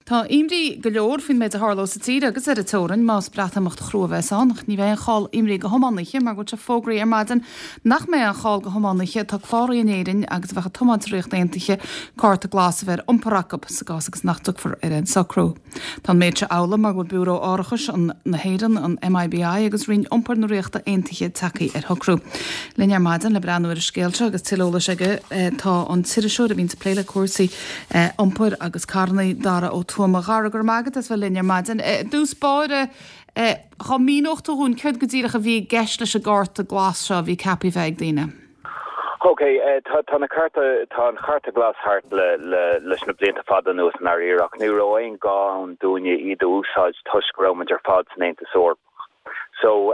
Tá imní go leor faoin méid a tharlós sa tír agus ar an teorainn más Breatimeacht chrua a bheas ann. Ach ní bheidh aon chall imní do thiománaithe mar go bhfuil sé fógraithe ar maidin nach mbeidh aon chall do thiománaithe atá cláraithe in Éirinn agus a bheadh ag tiomáint sa Ríocht Aontaithe cárta glas a bheith ar iompar acu sa gcás agus nach dtiocfar ar aon socrú. Tá an méid seo amhlaidh mar go bhfuil Biúró Árachais na hÉireann, an MIBI agus Roinn Iompair na Ríochta Aontaithe tagtha ar shocrú. Linn ar maidin le breathnú ar an scéal seo agus tuilleadh eolais aige tá an t-iriseoir a bhíonns ag plé le cúrsaí iompair agus carranna, Dara Ó Tuama. A Dhara, go raibh maith agat as bheith linn ar maidin. I dtús báire, dhá míneodh tú dhúinn céard go díreach a bhí i gceist leis an gcárta glas seo a bhí ceaptha a bheith ag daoine? Ok, tá tá na cárta, tá an chárta glas thart le le leis na blianta fada anuas i ndáiríre ach ní raibh aon gá ann dúinne iad a úsáid toisc go raibh muid ar fad san Aontas Eorpach. So,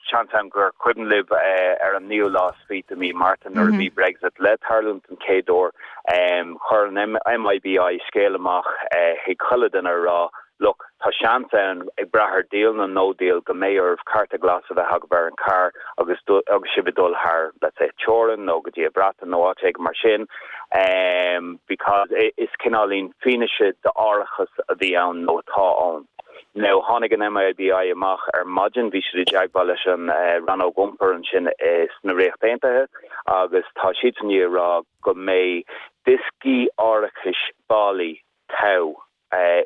seans ann gur cuimhin libh ar an naoú lá is fiche de mí Márta nuair a bhí Brexit le tarlúint den chéad uair, chuir an MIBI scéal amach chuig chuile duine a rá Look, tá seans ann, ag brath ar deal nó no deal, go mbeidh oraibh cárta glas a bheith agaibh ar an carr agus agus sibh ag dul thar, let's say, teorainn nó go dtí an Bhreatain nó áit éigin mar sin because is cineáilín fianaise d'árachas a bhí ann nó atá ann. Now, tháinig an MIBI amach ar maidin, bhí siad i dteagmháil leis an Rannóg Iompair ansin sna Ríocht Aontaithe agus tá siadsan i ndiaidh a rá go mbeidh dioscaí árachais bailí togha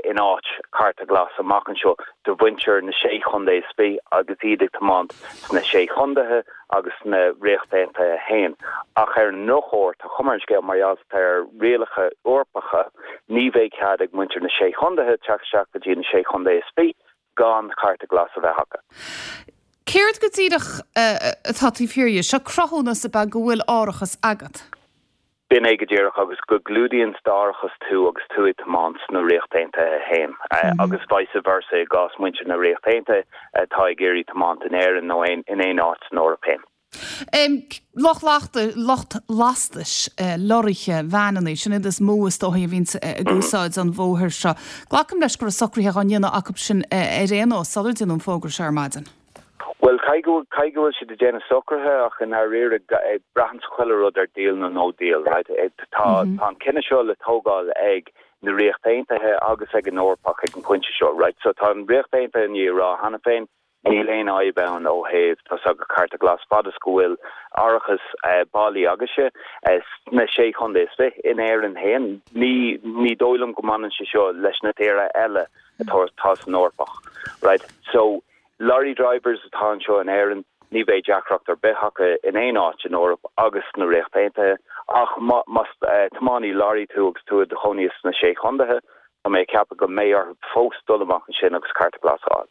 in áit cárta glas amach anseo do mhuintir na Sé Chontae is Fiche agus iad ag tiomáint sna Sé Chontaetha agus sna Ríocht Aontaithe féin. Ach ar an ndrochuair, tá cuma ar an scéal mar gheall ar rialacha Eorpacha, ní bheidh cead ag muintir na Sé Chontaetha teacht isteach go dtí na Sé Chontae is Fiche gan cárta glas a bheith acu. Céard go díreach atá taobh thiar dhe? Seo cruthúnas ab ea go bhfuil árachas agat? B'in é go díreach, agus go gclúdaíonn d'árachas tú agus tú ag tiomáint sna Ríocht Aontaithe féin, agus vice versa i gcás muintir na Ríocht Aontaithe atá ag iarraidh tiomáint in Éirinn nó in aon áit san Eoraip féin. Lucht lucht lastais, lorraithe, veaineanna, sin iad is mó is dóichí a bhíonns ag úsáid an bhóthair seo. Glacaim leis go raibh socruithe á ndéanamh acu sin ar aon nós sular déanadh an fógra seo ar maidin. Bhuel, caithfidh go bhfuil, caithfidh go bhfuil siad ag déanamh socruithe ach i ndáiríre, braitheann chuile rud ar deal nó no deal, right? Tá, tá an cinneadh seo le tógáil ag na Ríocht Aontaithe agus ag an Eorpach ag an phointe seo, right? So tá an Ríocht Aontaithe i ndiaidh a rá cheana féin, níl aon fhadhb ann ó thaobh, tá's agat, cárta glas, fad is go bhfuil árachas bailí agaibhse sna Sé Chontae is Fiche in Éirinn féin. Ní, ní dóigh liom go mbaineann sé seo leis na tíortha eile atá, atá san Eorpach, right? So, Lorry drivers atá anseo in Éirinn, ní bheidh deacracht ar bith acu in aon áit in Eoraip agus sna Ríocht Aontaithe, ach más tiománaí lorry tú agus tú i do chónaí sna Sé Chontaetha, tá mé ag ceapadh go mbeidh orthu fós dul amach ansin agus cárta glas a fháil.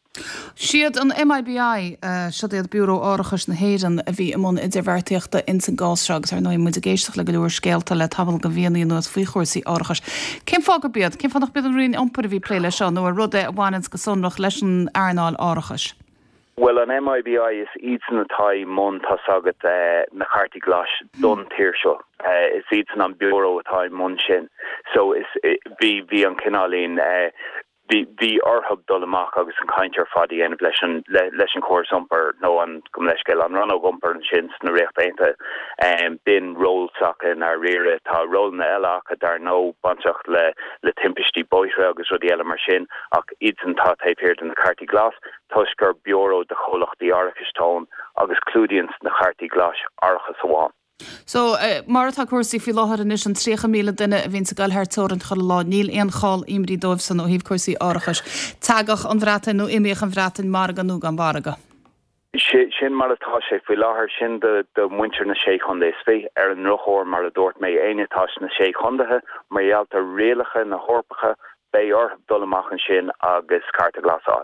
Siad an MIBI, siod iad Biúró Árachais na hÉireann, a bhí i mbun idirbheartaíochta ins an gcás seo agus ar ndóigh muid ag éisteacht le go leor scéalta le tamall de mhíonna anuas faoi chúrsaí árachais. Cén fáth gurb iad? Cén fáth nach b'iad an Roinn Iompair a bhí ag plé leis seo nó ar rud é a bhaineanns go sonrach leis an earnáil árachais? Bhuel, an MIBI, is iadsan atá i mbun, tá's agat, na cártaí glais don tír seo. Is iadsan an biúró atá i mbun sin. So, is, bhí, bhí an cineáilín, Bhí, bhí orthu dul amach agus an chaint ar fad a dhéanamh leis an, leis an chóras iompair nó an, gabh mo leithscéal, an rannóg iompair ansin sna Ríocht Aontaithe. B'in ról s'acu i ndáiríre. Tá rólanna eile acu dar ndóigh, bainteach le, le timpistí bóithre agus rudaí eile mar sin ach iadsan atá taobh thiar de na cártaí glas toisc gur biúró de chomhlachtaí árachais atá ann agus clúdaíonn na cártaí glais árachas amháin. So, mar atá cúrsaí faoi láthair anois, an 30,000 duine a bhíonns ag goil thar teorainn chuile lá, níl aon chall imní dóibhsan ó thaobh cúrsaí árachais. Teagadh an Bhreatain nó imíodh an Bhreatain, margadh nó gan mhargadh. Sin mar atá sé faoi láthair, sin do mhuintir na Sé Chontae is Fiche. Ar an ndrochuair, mar a dúirt mé, éinne atá sna Sé Chontaetha, mar gheall ar rialacha na hEorpacha, beidh orthu dul amach ansin agus cárta glas a fháil.